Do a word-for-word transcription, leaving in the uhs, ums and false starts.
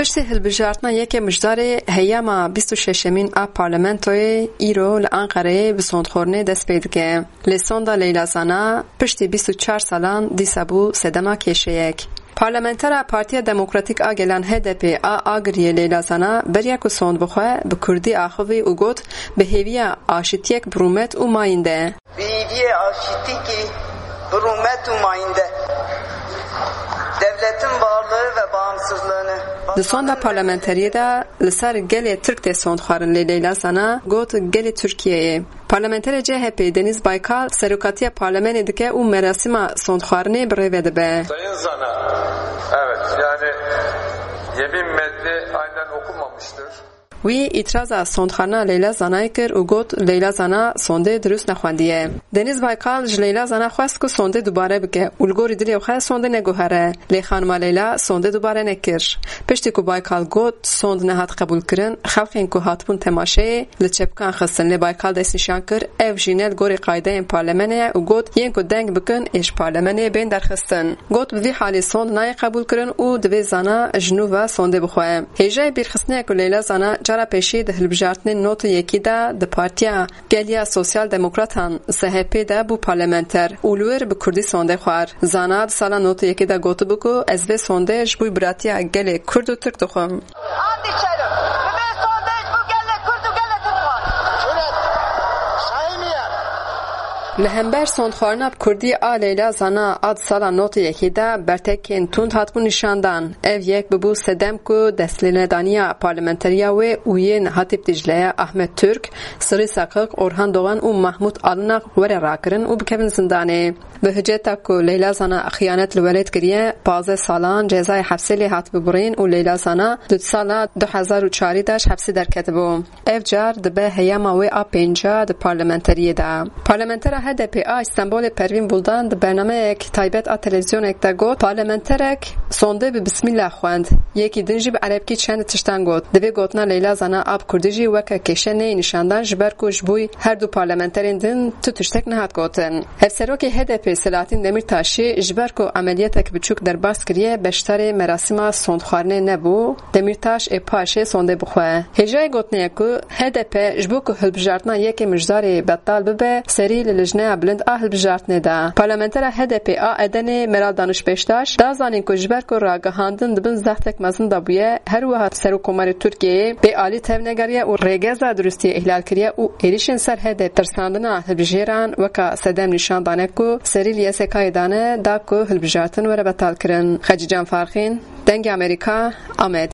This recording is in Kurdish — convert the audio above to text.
Piştî hilbijartina yekê Mijdarê, heyama bîst û şeşemîn a parlamentoyê îro li Anqereyê bi sondxwarinê dest pê dike. Lê sonda Leyla Zana piştî bîst û çar salan dîsa bû sedema kêşeyek. Parlamentera Partiya Demokratîk a Gelan H D P a Agiriyê Leyla Zana beriya ku sond bixwe bi kurdî axivî û got, bi hêviya aşitiyek bi rûmet û mayînde. Bi hêviyê aşitîkî bi rûmet û mayînde. Devletin varlığı ve bağımsızlığını. Di sonda parlamenteriyê de li ser gelê Tirk tê sondxwarin, lê Leyla Zana got gelê Tirkiyeyê. Parlamenterê C H P Deniz Baykal serokatiya parlemenê dike û merasîma sondxwarinê bi rê ve dibe. Sayın Zana, evet, yani yemin metni aynen okunmamıştır. Wî îtiraza sondxwarina Leyla Zanayê kir û got, Leyla Zana sondê dirust nexwendiye. Deniz Baykal ji Leyla Zana xwest ku sondê dubare bike û li gorî dilê xwe sondê neguhere. Lê xanima Leyla sondê dubare nekir. Piştî ku Baykal got sond nehat qebûlkirin, xelkên ku hatibûn temaşeyê li çepikan xistin, lê Baykal destnîşan kir, ev jî ne li gorî qaydeyên parlemenê ye û got, yên ku deng bikin ê ji parlemenê bên derxistin. Got, bi vî halî sond nayê qebûlkirin û divê Zana ji nû ve sondê bixwe. Hêjayê bîrxistinê ye ku Leyla Zana cara pêşî di hilbijartinên nod û yekî de di Partiya Geliya Sosyal Demokratan, S H P, de bû parlamenter û li wir bi kurdî sondê xwar. Zana di sala nod û yekê de gotibû ku ez vê sondê ji bo biratiya gelê kurd û tirk dixwim. Ant içerim. Bi vê sondê ji bo gelê kurd û gelê tirk xwar. Li hember sondxwarina bi kurdî a Leyla Zana a di sala nod û yekê de bertekên tund hatibûn nîşandan. Ev yek bibû sedem ku destlênedaniya parlamenteriya wê û yên hatî bi Dîcleye Ahmet Türk, Sirî Seqik, Orhan Doğan û Mahmut Alnak were rakirin û bikevin zindanê. Bi hiceta ku Leyla Zana xiyanet li welêt kiriye, pazdeh salan cezayê hepsê lê hat bibirîn û Leyla Zana di sala du hezar û çarî de ji hepsê derketibû. Ev car dibe heyama wê a pênca di parlamenteriyê de. Parlamentera H D P a Îstanbulê Pervîn Buldan di bernameyek taybet a televîzyonek de got, parlamenterek sondê bi bismîllah xwend. Yekî din jî bi erebkî çend tiştan got. Divê gotina Leyla Zana a bi kurdî jî weke kêşe neyê nîşandan, ji ber ku ji bo her du parlamenterên din tu tiştek nehat gotin. Hevserokê H D P Selahattin Demirtaşî ji ber ku emeliyetek biçûk derbas kiriye, beşdarê merasîma sondxwarinê nebû. Demîrtaş ê paşê sondê bixwe. Hêjayê gotinê ye ku H D P ji bo ku hilbijartina yekê Mijdarê betal bibe, serî li Lijneya Bilind a Hilbijartinê de. Parlamentera H D P a Edenê Meral Daniş Beştaş da zanîn ku ji ber ku ragihandin di bin zextek mezin de bûye, her wiha Serokkomarê Tirkiyeyê bê alî tevnegeriye û rêgeza dirustiyê îhlal kiriye û êrîşên ser H D P tirsandina hilbijêran weka sedem nîşan dane ku serî li Y S K'yê dane da ku hilbijartin were betalkirin. Xecîcan Farxîn, Dengê Amerîka, Amed.